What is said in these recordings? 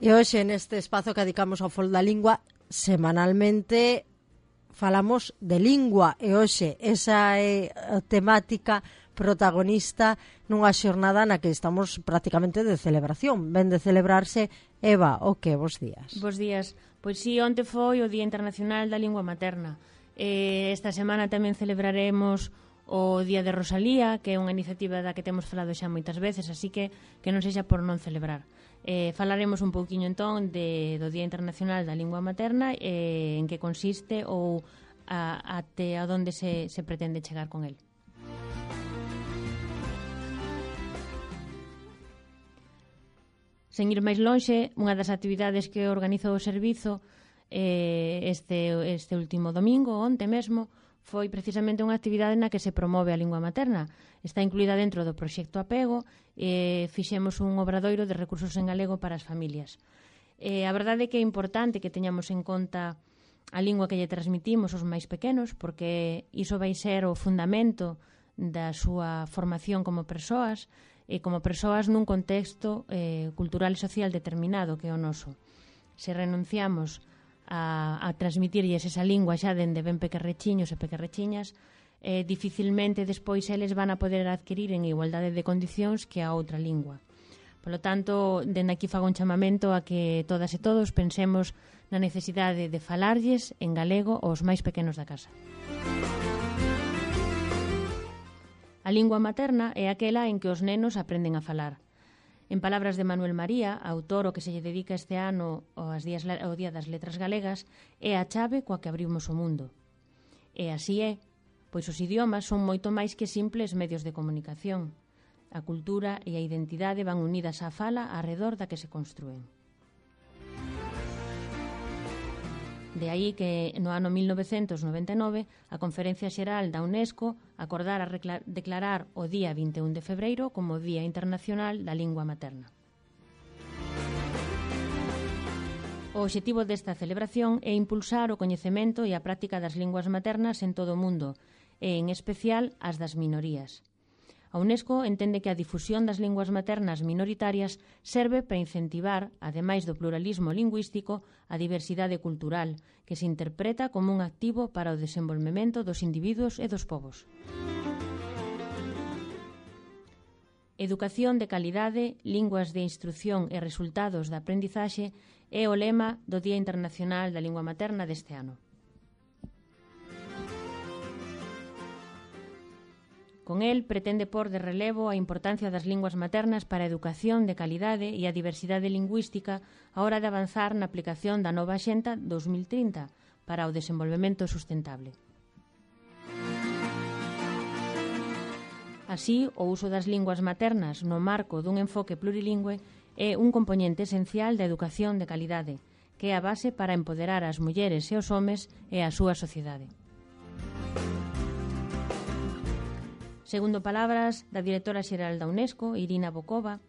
E hoxe neste espazo que dedicamos ao fol da lingua, semanalmente falamos de lingua e hoxe esa é a temática protagonista nunha xornada na que estamos prácticamente de celebración. Ven de celebrarse, Eva, o que? Bos días. Bos días. Pois sí, onte foi o Día Internacional da Lingua Materna. Esta semana tamén celebraremos o Día de Rosalía, que é unha iniciativa da que temos falado xa moitas veces, así que non sexa por non celebrar. Falaremos un pouquiño entón do Día Internacional da Lingua Materna, en que consiste ou até a onde se pretende chegar con el. Sen ir máis lonxe, unha das actividades que organizou o servizo este último domingo, onte mesmo, foi precisamente unha actividade na que se promove a lingua materna. Está incluída dentro do proxecto Apego e fixemos un obradoiro de recursos en galego para as familias. A verdade é que é importante que teñamos en conta a lingua que lle transmitimos aos máis pequenos, porque iso vai ser o fundamento da súa formación como persoas e como persoas nun contexto cultural e social determinado que é o noso. Se renunciamos a transmitirlles esa lingua xa dende ben pequerrechiños e pequerrechiñas, dificilmente despois eles van a poder adquirir en igualdade de condicións que a outra lingua. Polo tanto, dende aquí fago un chamamento a que todas e todos pensemos na necesidade de falarlles en galego aos máis pequenos da casa. A lingua materna é aquela en que os nenos aprenden a falar. En palabras de Manuel María, autor o que se lle dedica este ano ao Día das Letras Galegas, é a chave coa que abrimos o mundo. E así é, pois os idiomas son moito máis que simples medios de comunicación. A cultura e a identidade van unidas á fala arredor da que se construen. De aí que no ano 1999 a Conferencia Xeral da UNESCO acordara declarar o día 21 de febreiro como Día Internacional da Lingua Materna. O obxectivo desta celebración é impulsar o coñecemento e a práctica das linguas maternas en todo o mundo, e en especial as das minorías. A UNESCO entende que a difusión das linguas maternas minoritarias serve para incentivar, ademais do pluralismo lingüístico, a diversidade cultural, que se interpreta como un activo para o desenvolvemento dos individuos e dos povos. Educación de calidade, linguas de instrución e resultados da aprendizaxe é o lema do Día Internacional da Lingua Materna deste ano. Con el pretende pôr de relevo a importancia das linguas maternas para a educación de calidade e a diversidade lingüística a hora de avanzar na aplicación da nova Axenda 2030 para o desenvolvemento sustentable. Así, o uso das linguas maternas no marco dun enfoque plurilingüe é un componente esencial da educación de calidade, que é a base para empoderar as mulleres e os homes e a súa sociedade. Segundo palabras da directora xeral da UNESCO, Irina Bokova,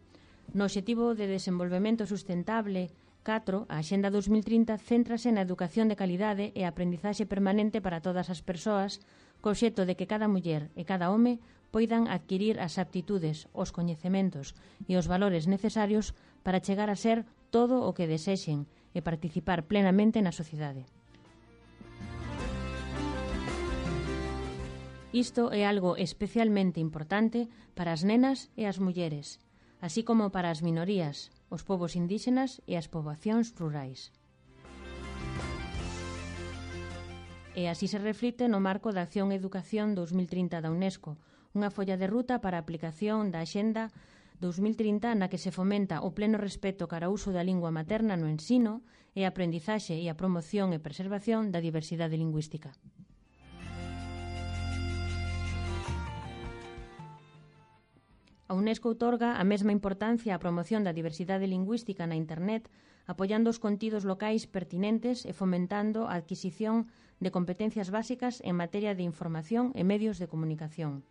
no Obxectivo de Desenvolvemento Sustentable 4, a Axenda 2030 céntrase na educación de calidade e a aprendizaxe permanente para todas as persoas, co obxecto de que cada muller e cada home poidan adquirir as aptitudes, os coñecementos e os valores necesarios para chegar a ser todo o que desexen e participar plenamente na sociedade. Isto é algo especialmente importante para as nenas e as mulleres, así como para as minorías, os povos indígenas e as poboacións rurais. E así se reflicte no marco da Acción e Educación 2030 da UNESCO, unha folla de ruta para a aplicación da Axenda 2030 na que se fomenta o pleno respeto cara ao uso da lingua materna no ensino e a aprendizaxe e a promoción e preservación da diversidade lingüística. A UNESCO outorga a mesma importancia á promoción da diversidade lingüística na Internet, apoiando os contidos locais pertinentes e fomentando a adquisición de competencias básicas en materia de información e medios de comunicación.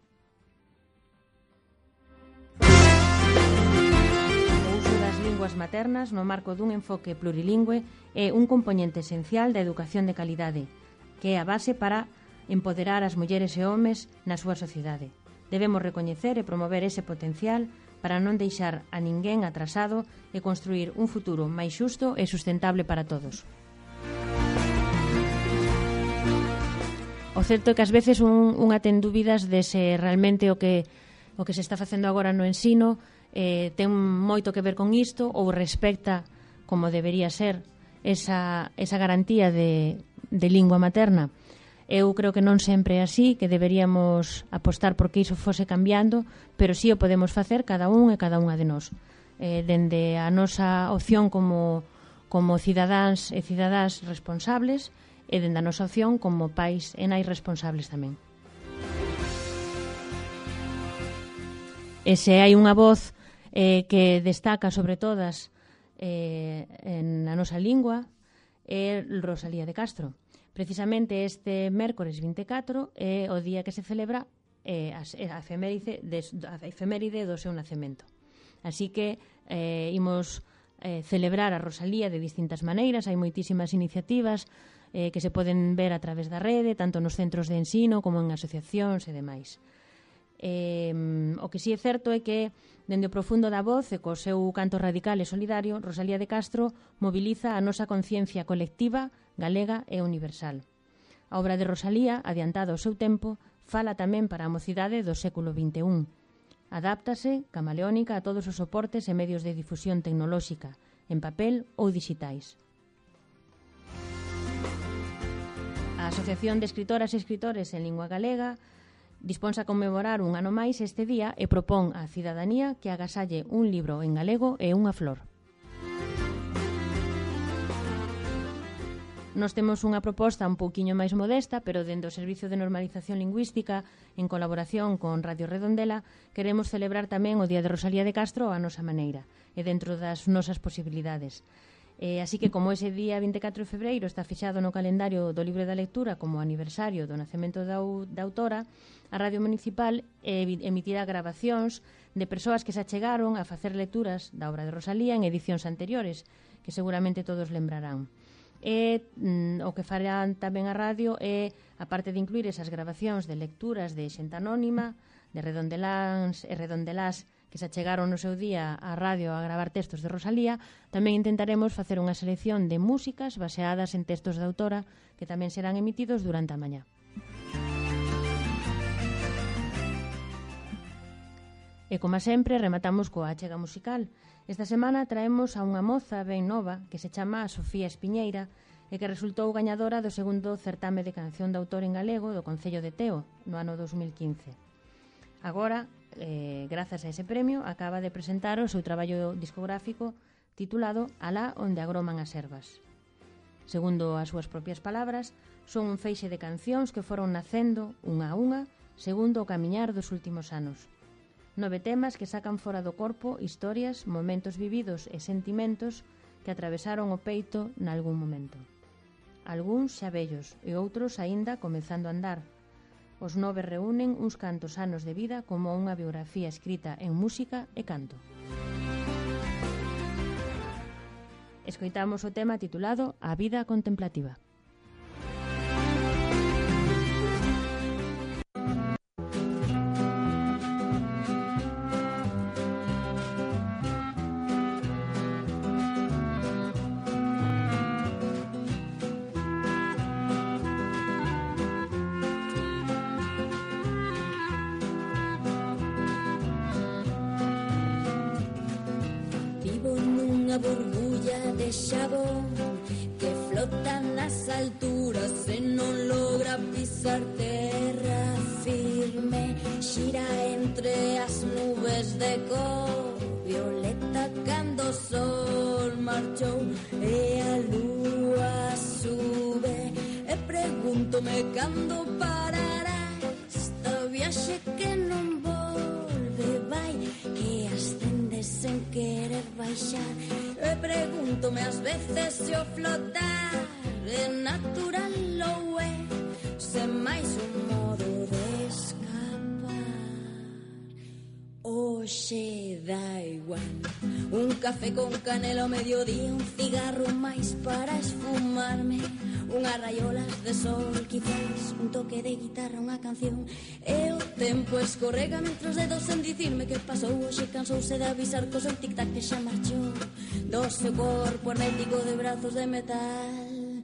O uso das linguas maternas no marco dun enfoque plurilingüe é un componente esencial da educación de calidade, que é a base para empoderar as mulleres e homes na súa sociedade. Debemos recoñecer e promover ese potencial para non deixar a ninguén atrasado e construir un futuro máis xusto e sustentable para todos. O certo é que ás veces unha ten dúbidas de se realmente o que se está facendo agora no ensino ten moito que ver con isto ou respecta como debería ser esa garantía de lingua materna. Eu creo que non sempre é así, que deberíamos apostar porque iso fose cambiando, pero sí o podemos facer cada un e cada unha de nós. Dende a nosa opción como cidadáns e cidadás responsables e dende a nosa opción como pais e nais responsables tamén. E se hai unha voz que destaca sobre todas na nosa lingua é Rosalía de Castro. Precisamente este mércores 24 é o día que se celebra a efeméride do seu nacemento. Así que imos celebrar a Rosalía de distintas maneiras. Hai moitísimas iniciativas que se poden ver a través da rede, tanto nos centros de ensino como en asociacións e demais. O que sí é certo é que dende o profundo da voz e co seu canto radical e solidario, Rosalía de Castro moviliza a nosa conciencia colectiva, galega e universal. A obra de Rosalía, adiantada ao seu tempo, fala tamén para a mocidade do século XXI. Adáptase, camaleónica, a todos os soportes e medios de difusión tecnolóxica, en papel ou digitais. A Asociación de Escritoras e Escritores en Lingua Galega disponse a conmemorar un ano máis este día e propón á cidadanía que agasalle un libro en galego e unha flor. Nos temos unha proposta un pouquiño máis modesta, pero dentro do Servicio de Normalización Lingüística, en colaboración con Radio Redondela, queremos celebrar tamén o Día de Rosalía de Castro a nosa maneira e dentro das nosas posibilidades. Así que, como ese día 24 de febreiro está fixado no calendario do Libro da Lectura como aniversario do nacemento da autora, a Radio Municipal emitirá grabacións de persoas que se achegaron a facer lecturas da obra de Rosalía en edicións anteriores, que seguramente todos lembrarán. O que farán tamén a radio é, aparte de incluir esas grabacións de lecturas de xente anónima, de redondeláns e redondelás que se achegaron no seu día á radio a gravar textos de Rosalía, tamén intentaremos facer unha selección de músicas baseadas en textos da autora que tamén serán emitidos durante a mañá. E, como sempre, rematamos coa achega musical. Esta semana traemos a unha moza ben nova que se chama Sofía Espiñeira e que resultou gañadora do segundo certame de canción de autor en galego do Concello de Teo no ano 2015. Agora, grazas a ese premio, acaba de presentar o seu traballo discográfico titulado Alá onde agroman as ervas. Segundo as súas propias palabras, son un feixe de cancións que foron nacendo unha a unha segundo o camiñar dos últimos anos. 9 temas que sacan fora do corpo historias, momentos vividos e sentimentos que atravesaron o peito nalgún momento. Algúns xa vellos e outros aínda comezando a andar. Os 9 reúnen uns cantos anos de vida como unha biografía escrita en música e canto. Escoitamos o tema titulado A vida contemplativa. Burbulla de xabón que flota nas alturas e non logra pisar terra firme, xira entre as nubes de cor violeta cando o sol marchou e a lúa sube e pregúntome cando parará esta viaxe que non volve vai, que ascende sen querer baixar. E pregúntome ás veces se o flotar é natural ou é sen máis un modo de escapar. Oxe dá igual, un café con canela ao mediodía, un cigarro máis para esfumarme, unhas raiolas de sol, quizás un toque de guitarra, unha canción e o tempo escorrega entre os dedos sen dicirme que pasou. Hoxe cansouse de avisar co seu tic-tac que xa marchou do seu corpo hermético de brazos de metal.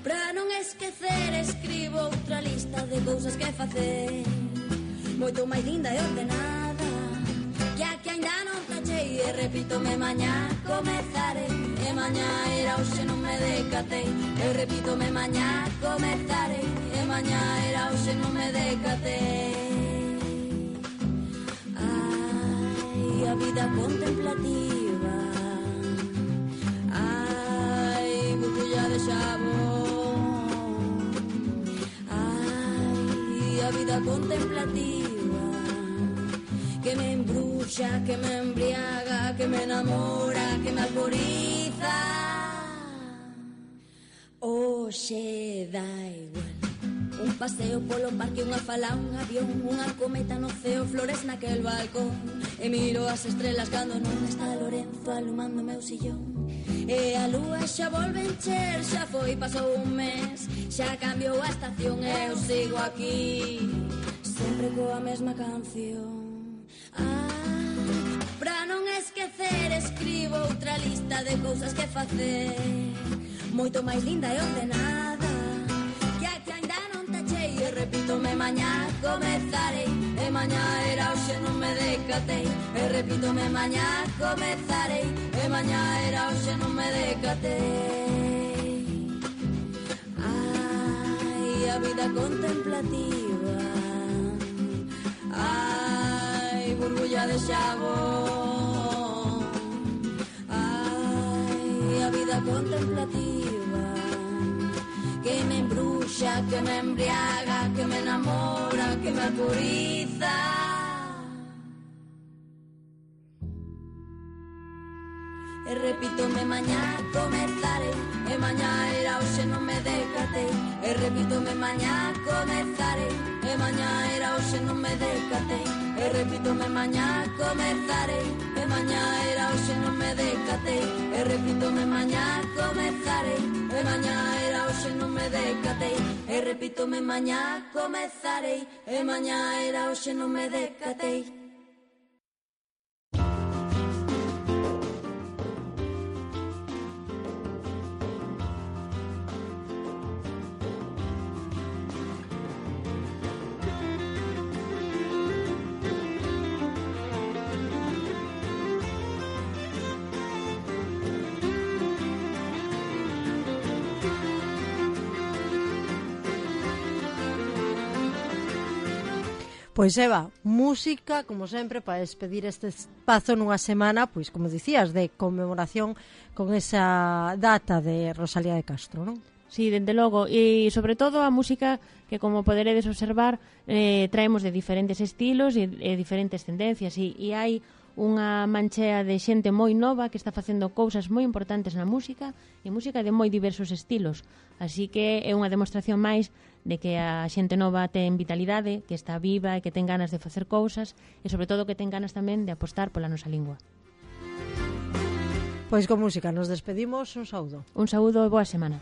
Pra non esquecer escribo outra lista de cousas que facer, moito máis linda e ordenada, que a que ainda non tachei. E repítome mañá comezarei, e mañá era hoxe non me decatei. E repítome mañá comezarei, e mañá era hoxe non me decatei. Ai, a vida contemplativa, ai, burbulla de xabón, ai, a vida contemplativa, que me embruxa, que me embriaga, que me enamora, que me alboriza. Oxe dá igual, un paseo polo parque, unha fala, un avión, unha cometa no ceo, flores naquel balcón. E miro as estrelas cando non está Lorenzo alumando meu sillón. E a lúa xa volve encher, xa foi, pasou un mes, xa cambiou a estación e eu sigo aquí, sempre coa mesma canción. Pra non esquecer escribo outra lista de cousas que facer, moito máis linda e ordenada, que a que ainda non tachei. E repítome mañá comezarei, e mañá era hoxe non me decatei. E repítome mañá comezarei, e mañá era hoxe non me decatei. Ai, a vida contemplativa, ai, burbulla de xabón, ai, a vida contemplativa, que me embruxa, que me embriaga, que me enamora, que me alboriza. E repítome mañá comezarei, e mañá era hoxe non me decatei. E repítome mañá comezarei, e mañá era hoxe non me decatei. E repítome mañá comezarei, e mañá era hoxe non me decatei. E repítome mañá comezarei, e mañá era hoxe non me decatei. E repítome mañá comezarei, e mañá era hoxe non me decatei. Pois Eva, música, como sempre, para despedir este espazo nunha semana, pois como dicías, de conmemoración con esa data de Rosalía de Castro, non? Sí, dende logo, e sobre todo a música que, como poderedes observar, traemos de diferentes estilos e diferentes tendencias, e hai unha manchea de xente moi nova que está facendo cousas moi importantes na música, e música de moi diversos estilos, así que é unha demostración máis de que a xente nova ten vitalidade, que está viva e que ten ganas de facer cousas, e sobre todo que ten ganas tamén de apostar pola nosa lingua. Pois con música nos despedimos, un saúdo. Un saúdo e boa semana.